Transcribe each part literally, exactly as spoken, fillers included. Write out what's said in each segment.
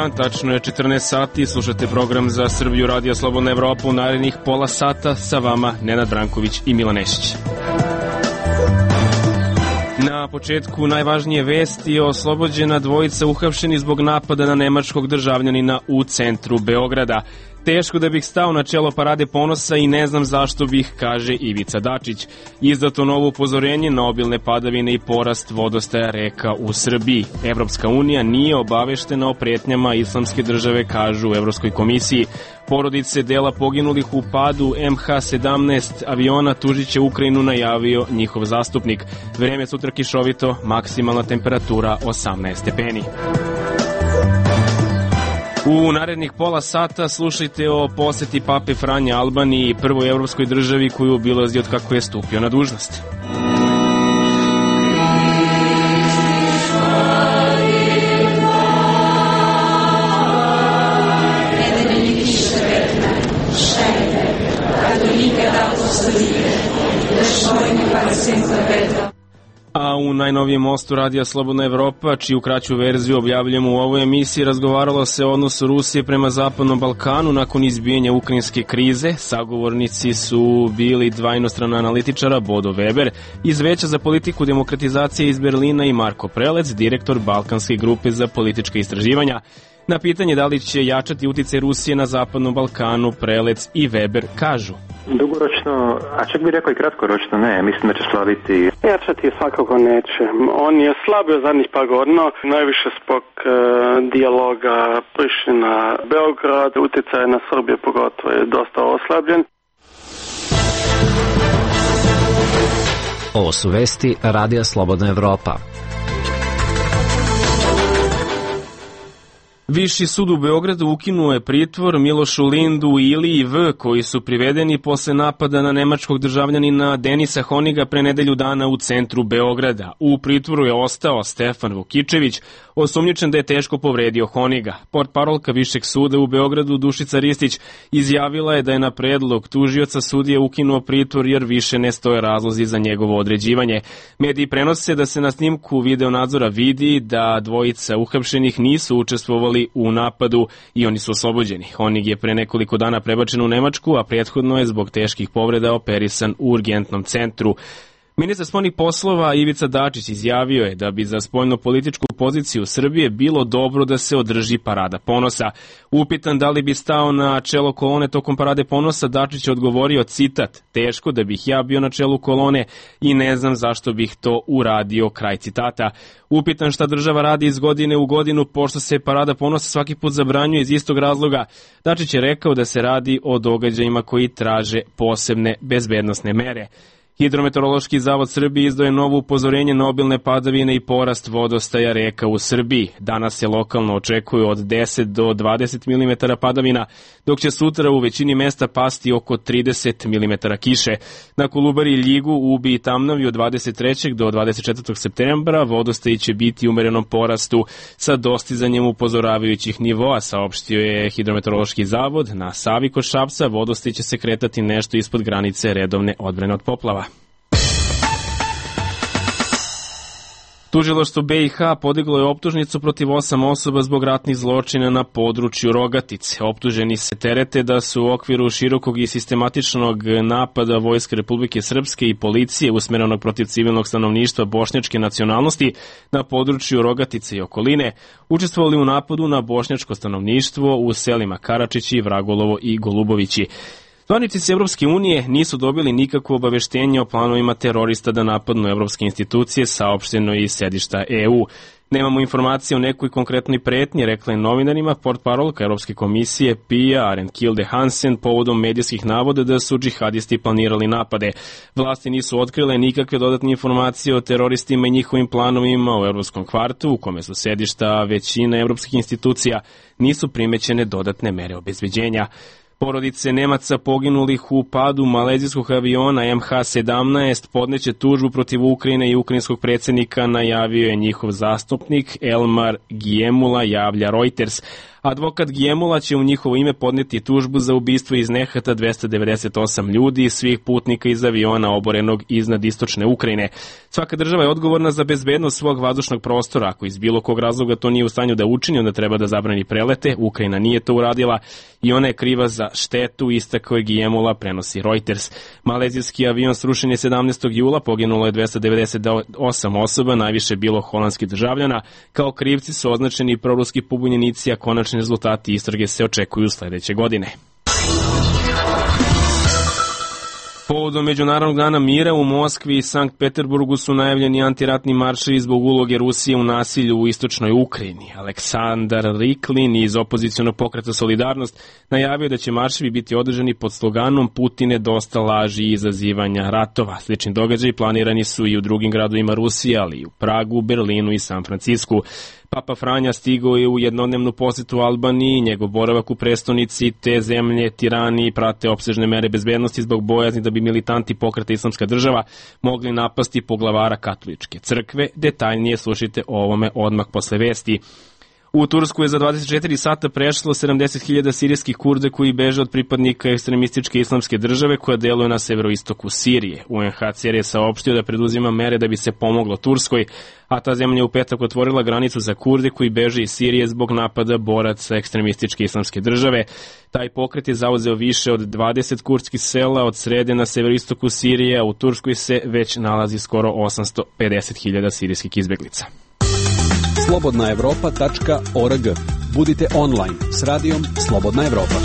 dan, tačno je četrnaest sati, slušate program za Srbiju Radio Slobodna Evropa u narednih pola sata, sa vama Nenad Branković i Milan Nešić. Na početku najvažnije vesti: oslobođena dvojica uhapšeni zbog napada na nemačkog državljanina u centru Beograda. Teško da bih stao na čelo Parade ponosa i ne znam zašto bih, kaže Ivica Dačić. Izdato novo upozorenje na obilne padavine i porast vodostaja reka u Srbiji. Evropska unija nije obaveštena o pretnjama islamske države, kažu u Evropskoj komisiji. Porodice dela poginulih u padu em ha sedamnaest aviona tužiće Ukrajinu, najavio njihov zastupnik. Vreme sutra kišovito, maksimalna temperatura osamnaest stepeni. U narednih pola sata slušajte o poseti Pape Franje Albaniji, prvoj evropskoj državi koju obilazi od kako je stupio na dužnost. A u najnovijem mostu Radija Slobodna Evropa, čiju kraću verziju objavljamo u ovoj emisiji, razgovaralo se o odnosu Rusije prema Zapadnom Balkanu nakon izbijanja ukrajinske krize. Sagovornici su bili dva inostrana analitičara, Bodo Weber iz Veća za politiku demokratizacije iz Berlina i Marko Prelec, direktor Balkanske grupe za politička istraživanja. Na pitanje da li će jačati uticaj Rusije na Zapadnom Balkanu, Prelec i Weber kažu: dugoročno, a čak bih rekao i kratkoročno ne, mislim da će slabiti. Jačati je svakako neće. On je slabio zadnjih par godina, najviše zbog e, dijaloga Priština-Beograd, uticaj na Srbiju pogotovo je dosta oslabljen. Ovo su vesti Radija Slobodna Evropa. Viši sud u Beogradu ukinuo je pritvor Milošu Lindu i Iliji V, koji su privedeni posle napada na nemačkog državljanina Denisa Honiga pre nedelju dana u centru Beograda. U pritvoru je ostao Stefan Vukičević, osumnjičen da je teško povredio Honiga. Portparolka Višeg suda u Beogradu Dušica Ristić izjavila je da je na predlog tužioca sudije ukinuo pritvor jer više ne stoje razlozi za njegovo određivanje. Mediji prenose da se na snimku videonadzora vidi da dvojica uhapšenih nisu učestvovali u napadu i oni su oslobođeni. Honig je pre nekoliko dana prebačen u Nemačku, a prethodno je zbog teških povreda operisan u urgentnom centru. Ministar spoljnih poslova Ivica Dačić izjavio je da bi za spoljno-političku poziciju Srbije bilo dobro da se održi Parada ponosa. Upitan da li bi stao na čelo kolone tokom Parade ponosa, Dačić je odgovorio, citat: teško da bih ja bio na čelu kolone i ne znam zašto bih to uradio, kraj citata. Upitan šta država radi iz godine u godinu, pošto se Parada ponosa svaki put zabranjuje iz istog razloga, Dačić je rekao da se radi o događajima koji traže posebne bezbednosne mere. Hidrometeorološki zavod Srbije izdao je novo upozorenje na obilne padavine i porast vodostaja reka u Srbiji. Danas se lokalno očekuju od deset do dvadeset milimetara padavina, dok će sutra u većini mesta pasti oko trideset milimetara kiše. Na Kolubari i Ljigu, Ubi i Tamnavi od dvadeset trećeg do dvadeset četvrtog septembra vodostaji će biti u umerenom porastu sa dostizanjem upozoravajućih nivoa, saopštio je Hidrometeorološki zavod. Na Savi kod Šapca vodostaji će se kretati nešto ispod granice redovne odbrane od poplava. Tužilaštvo be i ha podiglo je optužnicu protiv osam osoba zbog ratnih zločina na području Rogatice. Optuženi se terete da su u okviru širokog i sistematičnog napada Vojske Republike Srpske i policije usmerenog protiv civilnog stanovništva bošnjačke nacionalnosti na području Rogatice i okoline učestvovali u napadu na bošnjačko stanovništvo u selima Karačići, Vragolovo i Golubovići. Zvaničnici Evropske unije nisu dobili nikakvo obaveštenje o planovima terorista da napadnu evropske institucije, saopšteno iz sedišta e u. Nemamo informacije o nekoj konkretnoj pretnji, rekla je novinarima portparolka Evropske komisije Pia Arenkilde Hansen povodom medijskih navoda da su džihadisti planirali napade. Vlasti nisu otkrile nikakve dodatne informacije o teroristima i njihovim planovima u Evropskom kvartu, u kome su sedišta većine evropskih institucija, nisu primećene dodatne mere obezbeđenja. Porodice Nemaca poginulih u padu malezijskog aviona em ha sedamnaest podneće tužbu protiv Ukrajine i ukrajinskog predsjednika, najavio je njihov zastupnik Elmar Giemula, javlja Reuters. Advokat Gjemula će u njihovo ime podneti tužbu za ubistvo iz nehata dvesta devedeset osam ljudi i svih putnika iz aviona oborenog iznad istočne Ukrajine. Svaka država je odgovorna za bezbednost svog vazdušnog prostora. Ako iz bilo kog razloga to nije u stanju da učini, onda treba da zabrani prelete. Ukrajina nije to uradila i ona je kriva za štetu, istakao je Gjemula, prenosi Reuters. Malezijski avion srušen je sedamnaestog jula, poginulo je dvesta devedeset osam osoba, najviše bilo holandskih državljana. Kao krivci su označeni proruski pobunjenici, a konačni rezultati istrage se očekuju sledeće godine. Povodom Međunarodnog dana mira u Moskvi i Sankt Peterburgu su najavljeni antiratni marševi zbog uloge Rusije u nasilju u istočnoj Ukrajini. Aleksandar Riklin iz opozicionog pokreta Solidarnost najavio da će marševi biti održani pod sloganom Putine dosta laži i izazivanja ratova. Slični događaji planirani su i u drugim gradovima Rusije, ali i u Pragu, Berlinu i San Francisku. Papa Franja stigao je u jednodnevnu posetu Albaniji, njegov boravak u prestonici te zemlje Tirani prate opsežne mere bezbednosti zbog bojazni da bi militanti pokreta Islamska država mogli napasti poglavara katoličke crkve. Detaljnije slušajte o ovome odmah posle vesti. U Tursku je za dvadeset četiri sata prešlo sedamdeset hiljada sirijskih Kurda koji beže od pripadnika ekstremističke Islamske države koja deluje na severoistoku Sirije. U en ha ce er je saopštio da preduzima mere da bi se pomoglo Turskoj, a ta zemlja je u petak otvorila granicu za Kurde koji beže iz Sirije zbog napada boraca ekstremističke Islamske države. Taj pokret je zauzeo više od dvadeset kurdskih sela od srede na severoistoku Sirije, a u Turskoj se već nalazi skoro osamsto pedeset hiljada sirijskih izbeglica. slobodna evropa tačka org. Budite online s radijom Slobodna Evropa.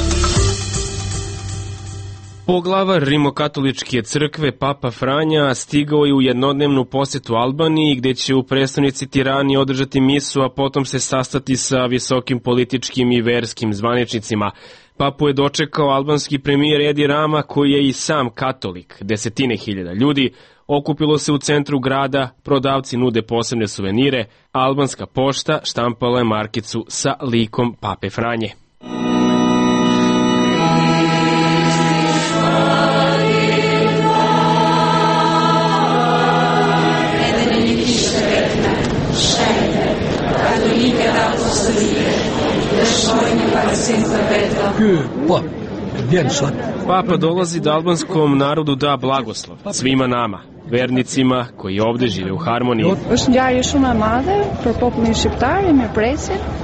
Poglavar Rimokatoličke crkve Papa Franja stigao je u jednodnevnu posetu Albaniji gde će u prestonici Tirani održati misu, a potom se sastati sa visokim političkim i verskim zvaničnicima. Papu je dočekao albanski premijer Edi Rama koji je i sam katolik. Desetine hiljada ljudi okupilo se u centru grada, prodavci nude posebne suvenire, a albanska pošta štampala je markicu sa likom Pape Franje. Papa dolazi da albanskom narodu da blagoslov, svima nama, vernicima koji ovde žive u harmoniji.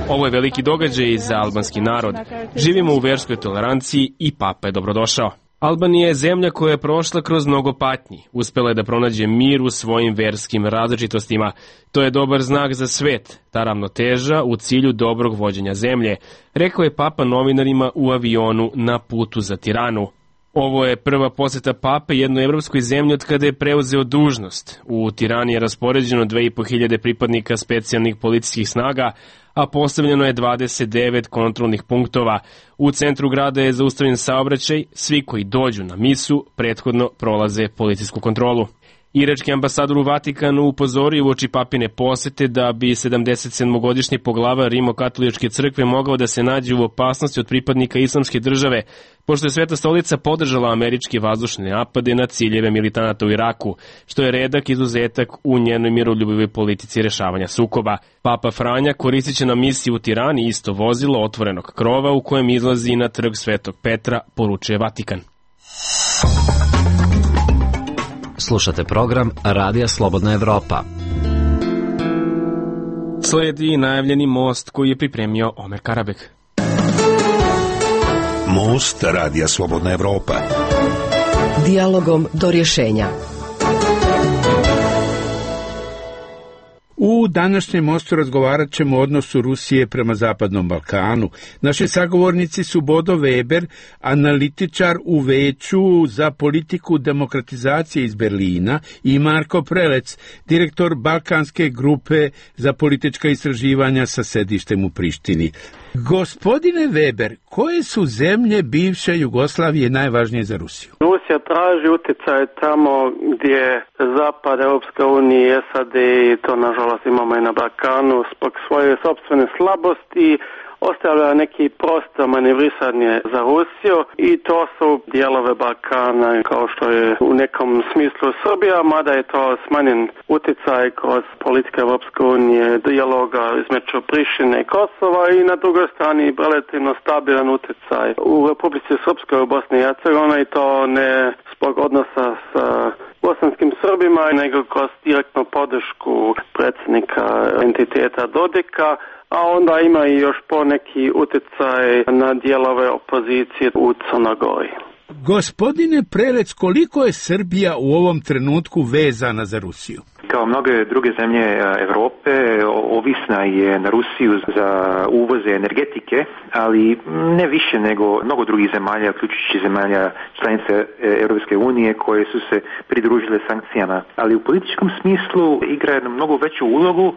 Ovo je veliki događaj za albanski narod. Živimo u verskoj toleranciji i Papa je dobrodošao. Albanija je zemlja koja je prošla kroz mnogo patnji. Uspela je da pronađe mir u svojim verskim različitostima. To je dobar znak za svet, ta ravnoteža u cilju dobrog vođenja zemlje, rekao je Papa novinarima u avionu na putu za Tiranu. Ovo je prva poseta Pape jednoj evropskoj zemlji od kada je preuzeo dužnost. U Tirani je raspoređeno dve i po hiljade pripadnika specijalnih policijskih snaga, a postavljeno je dvadeset devet kontrolnih punktova. U centru grada je zaustavljen saobraćaj, svi koji dođu na misu prethodno prolaze policijsku kontrolu. Irački ambasador u Vatikanu upozorio uoči papine posete da bi sedamdeset sedmogodišnji poglavar Rimokatoličke crkve mogao da se nađe u opasnosti od pripadnika Islamske države, pošto je Sveta stolica podržala američke vazdušne napade na ciljeve militanata u Iraku, što je redak izuzetak u njenoj miroljubivoj politici rešavanja sukoba. Papa Franja koristit će na misiji u Tirani isto vozilo otvorenog krova u kojem izlazi na trg Svetog Petra, poručuje Vatikan. Slušate program Radija Slobodna Evropa. Sledi najavljeni most koji je pripremio Omer Karabek. Most Radija Slobodna Evropa. Dijalogom do rješenja. U današnjem mostu razgovarat ćemo o odnosu Rusije prema Zapadnom Balkanu. Naši sagovornici su Bodo Weber, analitičar u Veću za politiku demokratizacije iz Berlina, i Marko Prelec, direktor Balkanske grupe za politička istraživanja sa sedištem u Prištini. Gospodine Weber, koje su zemlje bivše Jugoslavije najvažnije za Rusiju? Rusija traži utjecaj tamo gdje Zapad, Europska unija i es a de, i to nažalost imamo i na Balkanu, zbog svoje sopstvene slabosti, ostavlja neki prostor manevrisanje za Rusiju i to su dijelove Balkana kao što je u nekom smislu Srbija, mada je to smanjen utjecaj kroz politike Europske unije, dijaloga između Prištine i Kosova i na drugoj strani relativno stabilan utjecaj u Republici Srpskoj u Bosni i Hercegovini i to ne zbog odnosa sa bosanskim Srbima, nego kroz direktnu podršku predsjednika entiteta Dodika, a onda ima i još poneki utjecaj na dijelove opozicije u Crnoj Gori. Gospodine Prelec, koliko je Srbija u ovom trenutku vezana za Rusiju? Kao mnoge druge zemlje Europe, ovisna je na Rusiju za uvoze energetike, ali ne više nego mnogo drugih zemalja, uključujući zemalja članice Europske unije koje su se pridružile sankcijama. Ali u političkom smislu igra jednu mnogo veću ulogu,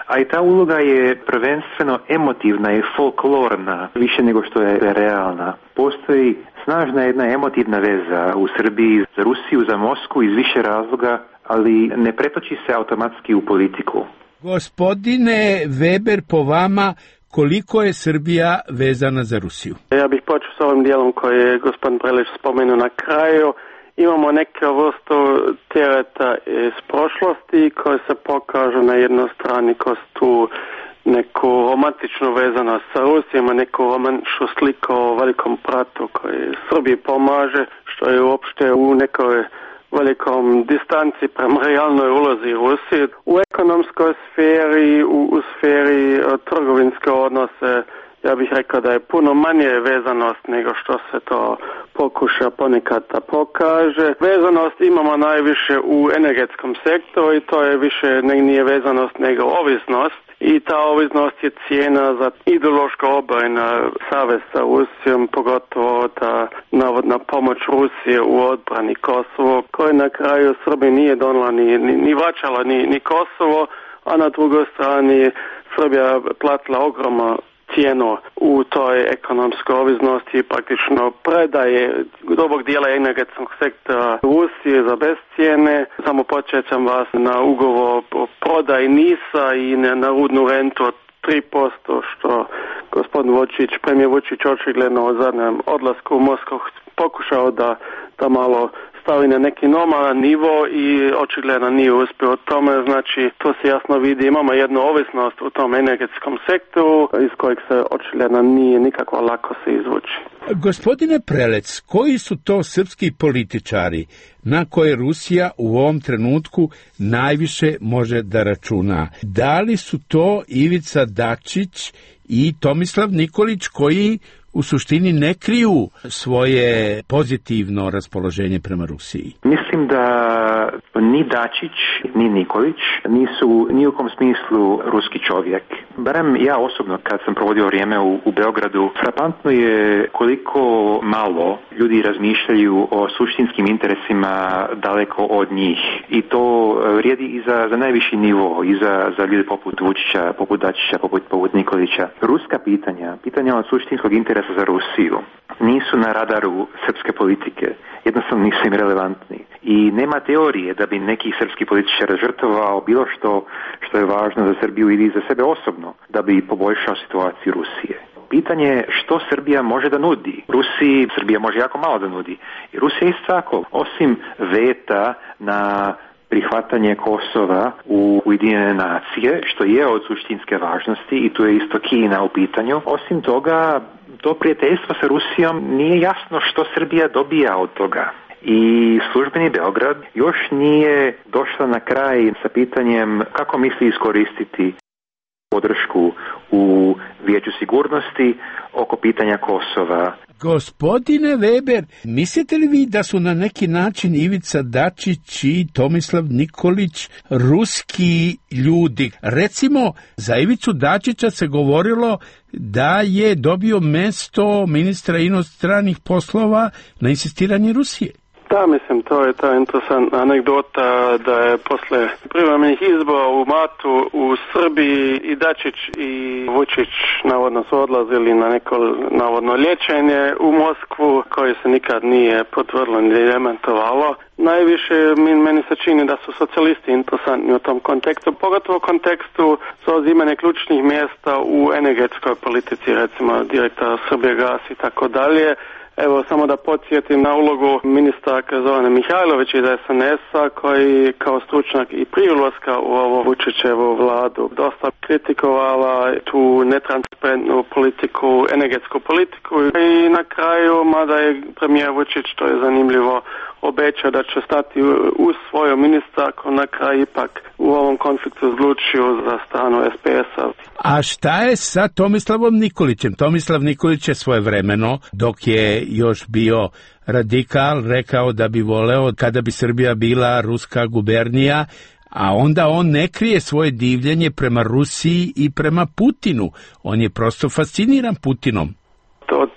a i ta uloga je prvenstveno emotivna i folklorna, više nego što je realna. Postoji snažna jedna emotivna veza u Srbiji za Rusiju, za Moskvu iz više razloga, ali ne pretoči se automatski u politiku. Gospodine Weber, po vama, koliko je Srbija vezana za Rusiju? Ja bih počeo s ovim dijelom koji je gospodin Prelec spomenuo na kraju. Imamo neke vrstu tereta iz prošlosti koje se pokažu na jednoj strani kroz tu neku romantičnu vezanost sa Rusijom, neku romantičnu sliku o velikom bratu koji Srbiji pomaže, što je uopšte u nekoj velikom distanci prema realnoj ulozi Rusije. U ekonomskoj sferi, u, u sferi trgovinske odnose, ja bih rekao da je puno manje vezanost nego što se to pokuša ponekad da pokaže. Vezanost imamo najviše u energetskom sektoru i to je više ne, nije vezanost nego ovisnost. I ta ovisnost je cijena za ideološko obojena savez sa Rusijom, pogotovo ta navodna pomoć Rusije u odbrani Kosovo, koje na kraju Srbiji nije donala ni, ni, ni vraćala ni, ni Kosovo, a na drugoj strani Srbija platila ogromno cijenu u toj ekonomskoj ovisnosti, praktično predaje dobrog dijela energetskog sektora Rusije za bez cijene. Samo podsjećam vas na ugovor o prodaji Nisa i na, na rudnu rentu od tri posto, što gospodin Vučić, premijer Vučić očigledno u zadnjem odlasku u Moskvu pokušao da, da malo stavi na neki normalan nivo i očigledno nije uspio u tome, znači to se jasno vidi, imamo jednu ovisnost u tom energetskom sektoru iz kojeg se očigledno nije nikako lako se izvući. Gospodine Prelec, koji su to srpski političari na koje Rusija u ovom trenutku najviše može da računa? Da li su to Ivica Dačić i Tomislav Nikolić koji u suštini ne kriju svoje pozitivno raspoloženje prema Rusiji? Mislim da ni Dačić, ni Nikolić nisu ni u kom smislu ruski čovjek. Barem ja osobno kad sam provodio vrijeme u, u Beogradu, frapantno je koliko malo ljudi razmišljaju o suštinskim interesima daleko od njih. I to vrijedi i za, za najviši nivo, i za, za ljude poput Vučića, poput Dačića, poput, poput Nikolića. Ruska pitanja, pitanja od suštinskog interesa za Rusiju nisu na radaru srpske politike, jednostavno nisu im relevantni. I nema teorije da bi neki srpski političar žrtvovao bilo što što je važno za Srbiju ili za sebe osobno, da bi poboljšao situaciju Rusije. Pitanje je što Srbija može da nudi. Rusiji Srbija može jako malo da nudi. I Rusija isto tako, osim veta na prihvatanje Kosova u Ujedinjene nacije, što je od suštinske važnosti i tu je isto Kina u pitanju. Osim toga, to prijateljstvo sa Rusijom nije jasno što Srbija dobija od toga. I službeni Beograd još nije došla na kraj sa pitanjem kako misli iskoristiti podršku u Vijeću sigurnosti oko pitanja Kosova. Gospodine Weber, mislite li vi da su na neki način Ivica Dačić i Tomislav Nikolić ruski ljudi? Recimo, za Ivicu Dačića se govorilo da je dobio mesto ministra inostranih poslova na insistiranje Rusije. Da, mislim, to je ta interesantna anegdota da je posle privremenih izbora u martu u Srbiji i Dačić i Vučić navodno su odlazili na neko navodno liječenje u Moskvu koje se nikad nije potvrdilo ni demantovalo. Najviše meni se čini da su socijalisti interesantni u tom kontekstu, pogotovo u kontekstu zauzimanja ključnih mjesta u energetskoj politici, recimo direktora Srbijagas i tako dalje. Evo, samo da podsjetim na ulogu ministarka Zorane Mihajlović iz es en es-a koji kao stručnjak i prije ulaska u ovo Vučićevu vladu dosta kritikovala tu netransparentnu politiku, energetsku politiku i na kraju, mada je premijer Vučić, to je zanimljivo, obećao da će stati uz svoju ministarku, na kraju ipak u ovom konfliktu odlučio za stranu es pe es-a. A šta je sa Tomislavom Nikolićem? Tomislav Nikolić je svojevremeno, dok je još bio radikal, rekao da bi voleo kada bi Srbija bila ruska gubernija, a onda on ne krije svoje divljenje prema Rusiji i prema Putinu. On je prosto fasciniran Putinom. Od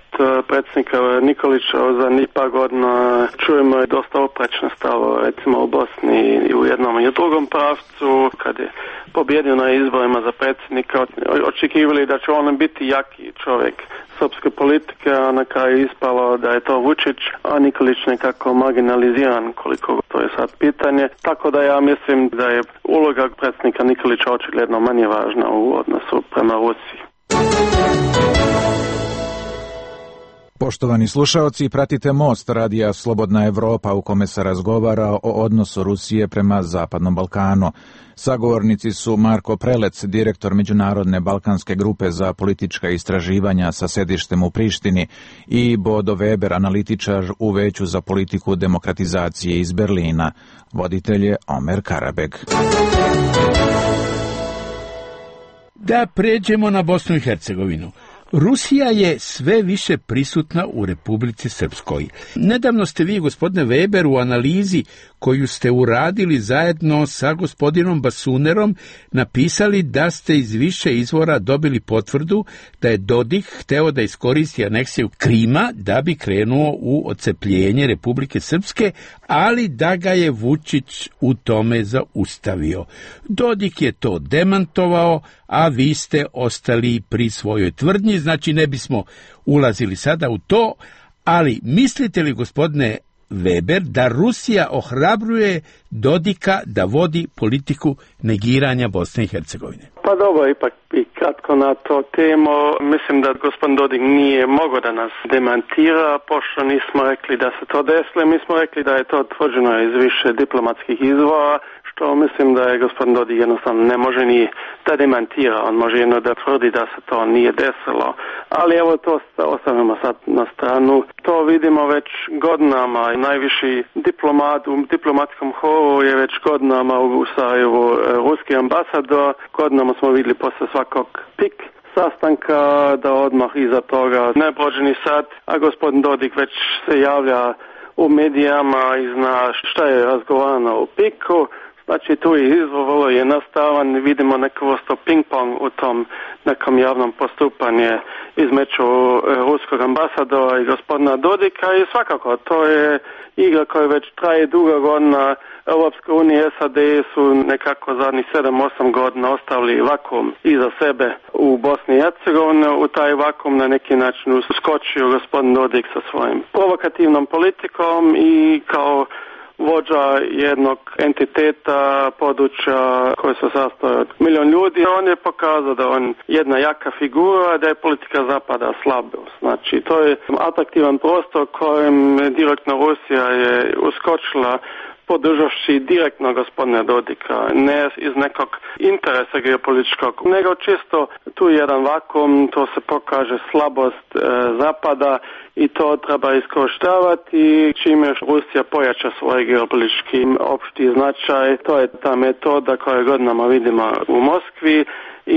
predsjednika Nikolića za nipa godina čujemo dosta oprečne stavo, recimo u Bosni i u jednom i u drugom pravcu, kad je pobjedio na izborima za predsjednika, očekivali da će on biti jaki čovjek srpske politike, a na kraju ispalo da je to Vučić, a Nikolić nekako marginaliziran, koliko to je sad pitanje. Tako da ja mislim da je uloga predsjednika Nikolića očigledno manje važna u odnosu prema Rusiji. Poštovani slušaoci, pratite Most radija Slobodna Evropa u kome se razgovara o odnosu Rusije prema Zapadnom Balkanu. Sagovornici su Marko Prelec, direktor Međunarodne balkanske grupe za politička istraživanja sa sedištem u Prištini, i Bodo Weber, analitičar u Veću za politiku demokratizacije iz Berlina. Voditelj je Omer Karabeg. Da pređemo na Bosnu i Hercegovinu. Rusija je sve više prisutna u Republici Srpskoj. Nedavno ste vi, gospodine Weber, u analizi koju ste uradili zajedno sa gospodinom Basunerom napisali da ste iz više izvora dobili potvrdu da je Dodik hteo da iskoristi aneksiju Krima da bi krenuo u odcepljenje Republike Srpske, ali da ga je Vučić u tome zaustavio. Dodik je to demantovao, a vi ste ostali pri svojoj tvrdnji, znači ne bismo ulazili sada u to, ali mislite li, gospodine Weber, da Rusija ohrabruje Dodika da vodi politiku negiranja Bosne i Hercegovine? Pa dobro, ipak i kratko na to temu. Mislim da gospodin Dodik nije mogao da nas demantira, pošto nismo rekli da se to desilo. Mi smo rekli da je to tvrđeno iz više diplomatskih izvora, što mislim da je gospodin Dodik jednostavno ne može ni da demantira. On može jedno da tvrdi da se to nije desilo. Ali evo to ostavimo sad na stranu. To vidimo već godinama. Najviši diplomat u diplomatskom horu je već godinama u Sarajevu ruski ambasador. Godinama smo vidjeli posle svakog pik sastanka da odmah iza toga ne prođe ni sat, a gospodin Dodik već se javlja u medijama i zna šta je razgovarano u piku. Znači tu je izvor vrlo jednostavan, vidimo neku vrstu ping-pong u tom nekom javnom postupanju između ruskog ambasadora i gospodina Dodika i svakako to je igra koja već traje dugo godina. Europska unija i es a de su nekako zadnjih sedam osam godina ostavili vakuum iza sebe u Bosni i Hercegovini. U taj vakuum na neki način uskočio gospodin Dodik sa svojim provokativnom politikom i kao vođa jednog entiteta, područja koje se sastoje od milion ljudi. On je pokazao da on jedna jaka figura, da je politika zapada slabost. Znači, to je atraktivan prostor kojem direktno Rusija je uskočila podržavši direktno gospodina Dodika, ne iz nekog interesa geopolitičkog, nego čisto tu je jedan vakuum, to se pokaže slabost e, zapada i to treba iskorištavati. Čim još Rusija pojača svoj geopolitički opšti značaj, to je ta metoda koju godinama vidimo u Moskvi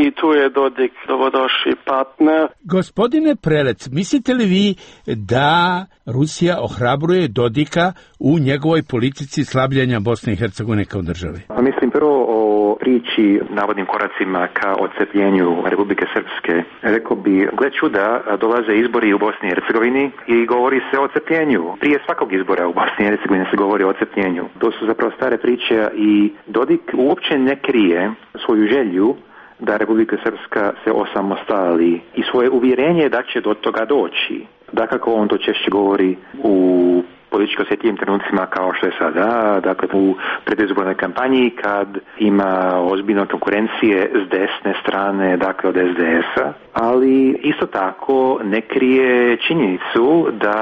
i tu je Dodik dobrodošli partner. Gospodine Prelec, mislite li vi da Rusija ohrabruje Dodika u njegovoj politici slabljenja Bosne i Hercegovine kao države? Pa mislim prvo o priči, navodnim koracima ka odcepljenju Republike Srpske. Rekao bi, gle čuda, dolaze izbori u Bosni i Hercegovini i govori se o odcepljenju. Prije svakog izbora u Bosni i Hercegovini se govori o odcepljenju. To su zapravo stare priče i Dodik uopće ne krije svoju želju da Republika Srpska se osamostali i svoje uvjerenje da će do toga doći. Dakako on to češće govori u politički osjetljivim trenucima kao što je sada, dakle u predizbornoj kampanji kad ima ozbiljno konkurencije s desne strane, dakle od es de es-a, ali isto tako ne krije činjenicu da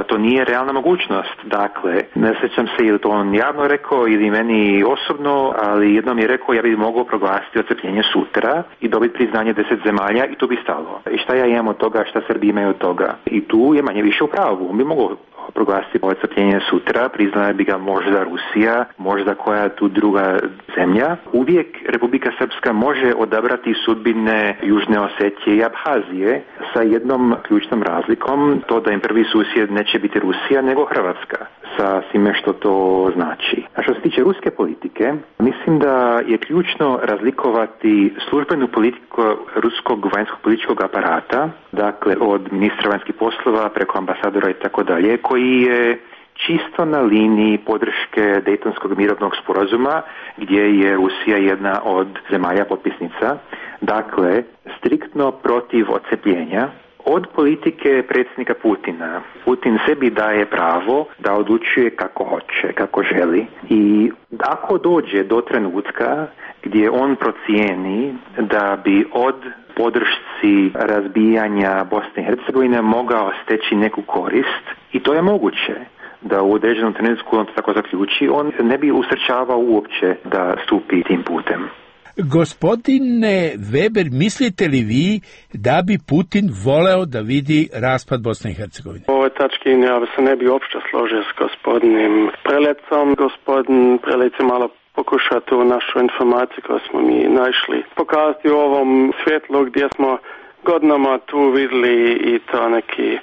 to nije realna mogućnost. Dakle, ne sjećam se ili to on javno rekao ili meni osobno, ali jednom je rekao ja bih mogao proglasiti odcepljenje sutra i dobiti priznanje deset zemalja i to bi stalo. I šta ja imam od toga, šta Srbi imaju od toga? I tu je manje više u pravu. On bi mogao proglasiti odcepljenje sutra, priznala bi ga možda Rusija, možda koja tu druga zemlja. Uvijek Republika Srpska može odabrati sudbine Južne Osetije i Abhazije sa jednom ključnom razlikom, to da im prvi susjed neće biti Rusija nego Hrvatska, sa svime što to znači. A što se tiče ruske politike, mislim da je ključno razlikovati službenu politiku ruskog vanjskog političkog aparata, dakle od ministra vanjskih poslova preko ambasadora i tako dalje, koji je čisto na liniji podrške Dejtonskog mirovnog sporazuma gdje je Rusija jedna od zemalja potpisnica, dakle striktno protiv odcepljenja, od politike predsjednika Putina. Putin sebi daje pravo da odlučuje kako hoće, kako želi i ako dođe do trenutka gdje on procijeni da bi od podršci razbijanja Bosne i Hercegovine mogao steći neku korist, i to je moguće da u određenom trenutku on to tako zaključi, on ne bi usrećavao uopće da stupi tim putem. Gospodine Weber, mislite li vi da bi Putin voleo da vidi raspad Bosne i Hercegovine? U ovoj tački ja se ne bi uopće složio s gospodinim Prelecom. Gospodin Prelec je malo pokušao tu našu informaciju koju smo mi našli pokazati u ovom svjetlu gdje smo godinama tu vidjeli i to neki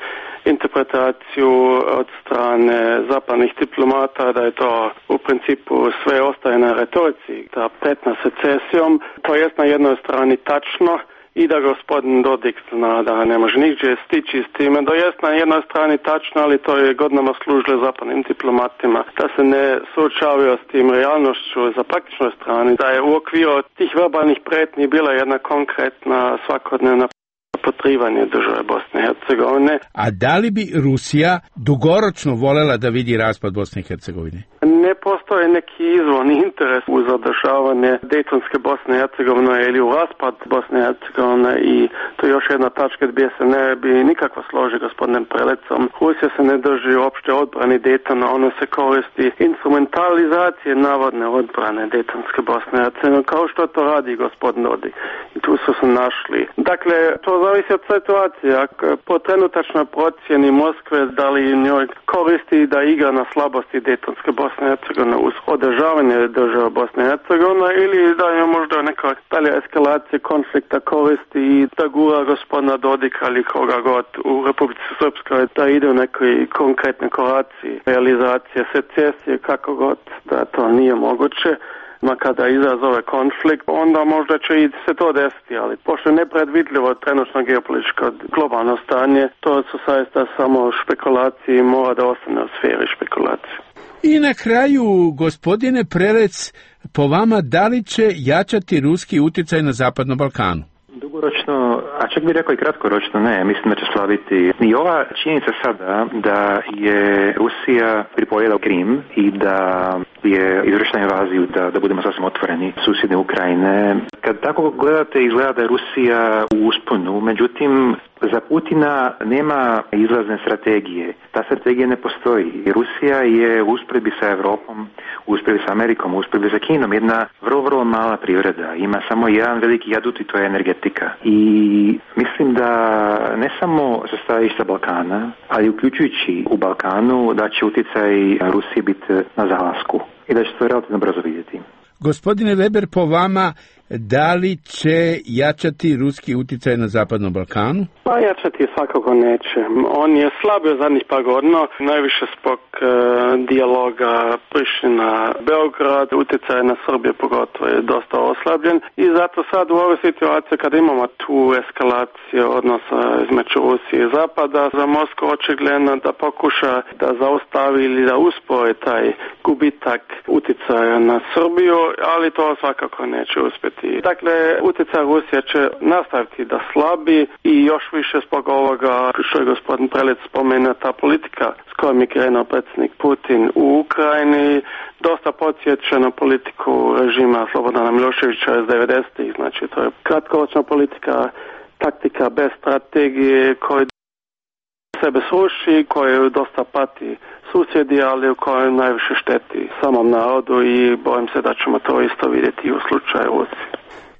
interpretaciju od strane zapadnih diplomata da je to u principu sve ostaje na retorici, ta pretnja secesijom. To jest na jednoj strani tačno i da gospodin Dodik zna da ne može nigdje stići s time. To jest na jednoj strani tačno, ali to je godinama služilo zapadnim diplomatima da se ne suočavaju s tim realnošću za praktičnoj strani, da je u okviru tih verbalnih pretnji bila jedna konkretna svakodnevna potrivanje države Bosne i Hercegovine. A da li bi Rusija dugoročno voljela da vidi raspad Bosne i Hercegovine? Ne postoji neki izvorni interes u zadržavanje Dejtonske Bosne i Hercegovine ili u raspad Bosne i Hercegovine i to je još jedna tačka gdje se ne bi nikako složi gospodinem Prelecom. Rusija se ne drži opšte odbrani Dejtona, ono se koristi instrumentalizacije navodne odbrane Dejtonske Bosne i Hercegovine, kao što to radi gospodin Dodik. I tu su se našli. Dakle, to zavisi od situacije. Ako po trenutačnoj procjeni Moskve da li njoj koristi da igra na slabosti Dejtonske Bosne i Hercegovine uz održavanje države Bosne i Hercegovine ili da je možda neka dalja eskalacija konflikta koristi i da gura gospodina Dodika ili koga god u Republici Srpskoj da ide u nekoj konkretne koraciji realizacije secesije kako god da to nije moguće. Ma kada izazove konflikt, onda možda će i se to desiti, ali pošto je nepredvidljivo trenutno geopolitičko globalno stanje, to su saista samo špekulacije i mora da ostane u sferi špekulacije. I na kraju, gospodine Prelec, po vama da li će jačati ruski utjecaj na Zapadnom Balkanu? Dugoročno, a čak bih rekao i kratkoročno ne, mislim da će slaviti. I ova činjenica sada da je Rusija pripojila Krim i da je izvršena invaziju, da, da budemo sasvim otvoreni, susjedne Ukrajine. Kad tako gledate, izgleda da je Rusija u usponu, međutim, za Putina nema izlazne strategije. Ta strategija ne postoji. Rusija je u usporedbi sa Evropom, u usporedbi sa Amerikom, u usporedbi sa Kinom jedna vrlo, vrlo mala privreda. Ima samo jedan veliki adut i to je energetika. I mislim da ne samo sa stajališta Balkana, ali uključujući u Balkanu da će utjecaj Rusije biti na zalasku i da će to relativno brzo vidjeti. Gospodine Weber, po vama da li će jačati ruski uticaj na Zapadnom Balkanu? Pa jačati svakako neće. On je slabio zadnjih par godina, najviše zbog e, dijaloga Priština-Beograd, utjecaj na Srbiju pogotovo je dosta oslabljen i zato sad u ovoj situaciji kada imamo tu eskalaciju odnosa između Rusije i Zapada, za Moskvu očigledno da pokuša da zaustavi ili da uspori taj gubitak utjecaja na Srbiju, ali to svakako neće uspjeti. Dakle, utjecaj Rusije će nastaviti da slabi i još više zbog ovoga što je gospodin Prelec spomenuo, ta politika s kojom je krenuo predsjednik Putin u Ukrajini dosta podsjeća na politiku režima Slobodana Miloševića iz devedesetih. Znači, to je kratkoročna politika, taktika bez strategije koja sebe sruši, koja dosta pati susjedi, ali u kojoj najviše šteti samom narodu i bojim se da ćemo to isto vidjeti i u slučaju Rusije.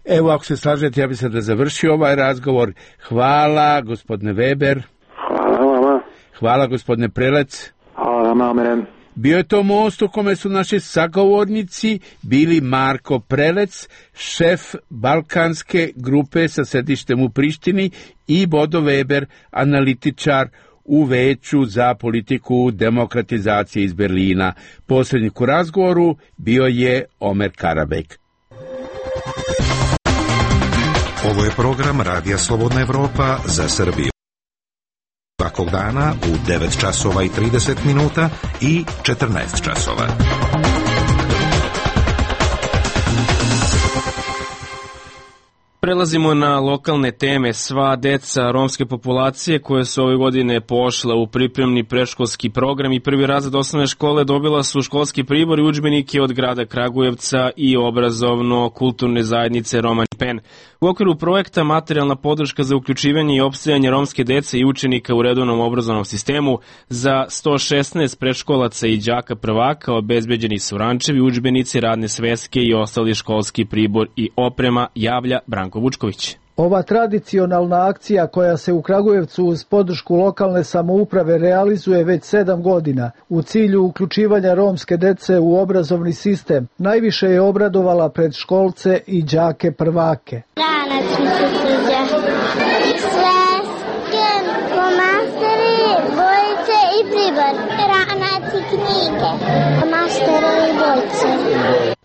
Evo, ako se slažete, ja bih sada završio ovaj razgovor. Hvala, gospodine Weber. Hvala vama. Hvala, gospodine Prelec. Hvala vama. Bio je to most u kome su naši sagovornici bili Marko Prelec, šef balkanske grupe sa sedištem u Prištini, i Bodo Weber, analitičar u Veću za politiku demokratizacije iz Berlina. Posrednik u razgovoru bio je Omer Karabek. Ovo je program Radija Slobodna Evropa za Srbiju. Svakog dana u devet časova i trideset minuta i četrnaest časova. Prelazimo na lokalne teme. Sva deca romske populacije koje su ove godine pošla u pripremni predškolski program i prvi razred osnovne škole dobila su školski pribor i udžbenike od grada Kragujevca i obrazovno-kulturne zajednice Roman Pen. U okviru projekta Materijalna podrška za uključivanje i opstajanje romske dece i učenika u redovnom obrazovnom sistemu za sto šesnaest predškolaca i đaka prvaka obezbeđeni su rančevi, udžbenici, radne sveske i ostali školski pribor i oprema, javlja Branko Vučković. Ova tradicionalna akcija koja se u Kragujevcu uz podršku lokalne samouprave realizuje već sedam godina u cilju uključivanja romske dece u obrazovni sistem najviše je obradovala predškolce i đake prvake. Ranac mi se sviđa. Sveske, flomastere, bojice i pribor. Ranac i knjige. Flomastere i bojice.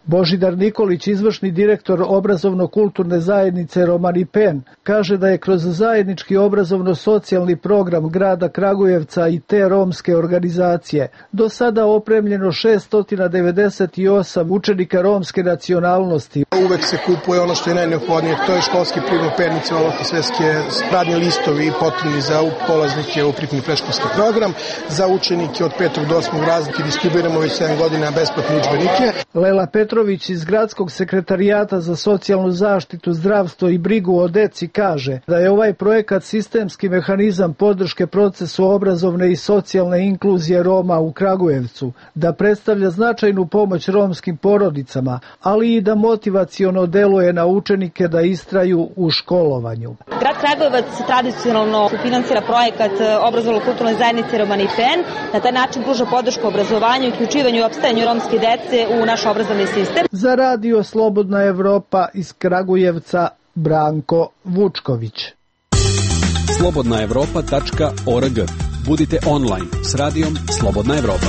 Božidar Nikolić, izvršni direktor obrazovno-kulturne zajednice Romani Pen, kaže da je kroz zajednički obrazovno-socijalni program grada Kragujevca i te romske organizacije do sada opremljeno šesto devedeset osam učenika romske nacionalnosti. Uvek se kupuje ono što je najneophodnije, to je školski pribor, pernice, olovke, sveske, radni listovi potrebni za polaznike u pripremni predškolski program, za učenike od petog do osmog razreda distribuiramo već sedam godina besplatne udžbenike. Lela Petrović iz Gradskog sekretarijata za socijalnu zaštitu, zdravstvo i brigu o deci kaže da je ovaj projekat sistemski mehanizam podrške procesu obrazovne i socijalne inkluzije Roma u Kragujevcu, da predstavlja značajnu pomoć romskim porodicama, ali i da motivaciono deluje na učenike da istraju u školovanju. Grad Kragujevac tradicionalno finansira projekat obrazovno-kulturne zajednice Romani Pen, na taj način pruža podršku obrazovanju, uključivanju i opstajanju romske dece u naš obrazovni sistem. Za Radio Slobodna Evropa iz Kragujevca, Branko Vučković. slobodna evropa tačka org. Budite online s radijom Slobodna Evropa.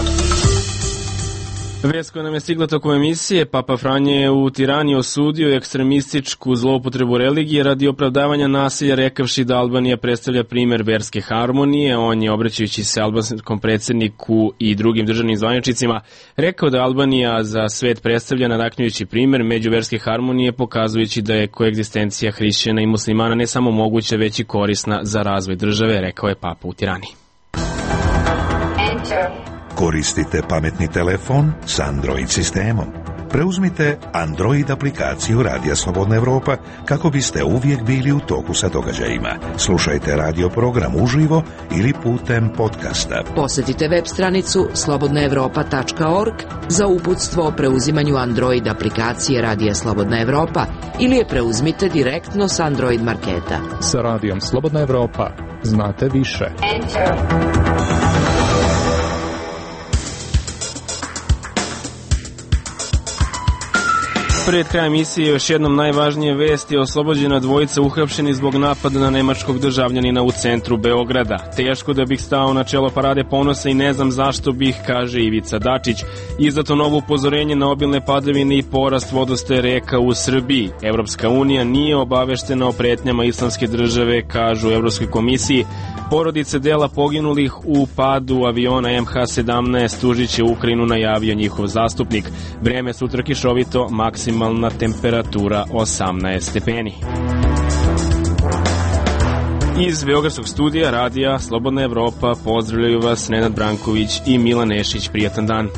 Vest koja nam je stigla tokom emisije, Papa Franje je u Tirani osudio ekstremističku zloupotrebu religije radi opravdavanja nasilja, rekavši da Albanija predstavlja primer verske harmonije. On je, obraćajući se albanskom predsjedniku i drugim državnim zvaničnicima, rekao da Albanija za svet predstavlja nadahnjujući primer međuverske harmonije, pokazujući da je koegzistencija hrišćana i muslimana ne samo moguća, već i korisna za razvoj države, rekao je Papa u Tirani. Enter. Koristite pametni telefon s Android sistemom. Preuzmite Android aplikaciju Radija Slobodna Evropa kako biste uvijek bili u toku sa događajima. Slušajte radio program uživo ili putem podcasta. Posjetite web stranicu slobodna evropa tačka org za uputstvo o preuzimanju Android aplikacije Radija Slobodna Evropa ili je preuzmite direktno s Android marketa. Sa Radijom Slobodna Evropa znate više. Enter. Pred krajem emisije još jednom najvažnije vesti: oslobođena dvojica uhapšeni zbog napada na nemačkog državljanina u centru Beograda. Teško da bih stao na čelo parade ponosa i ne znam zašto bih, kaže Ivica Dačić. Izdato novo upozorenje na obilne padavine i porast vodostaja reka u Srbiji. Evropska unija nije obaveštena o pretnjama islamske države, kažu u Evropskoj komisiji. Porodice dela poginulih u padu aviona M H sedamnaest tužiće Ukrajinu, najavio njihov zastupnik. Vreme sutra kišovito, maksimalna temperatura osamnaest stepeni. Iz Beogradskog studija radija Slobodna Evropa pozdravljaju vas Nenad Branković i Milan Nešić. Prijatan dan.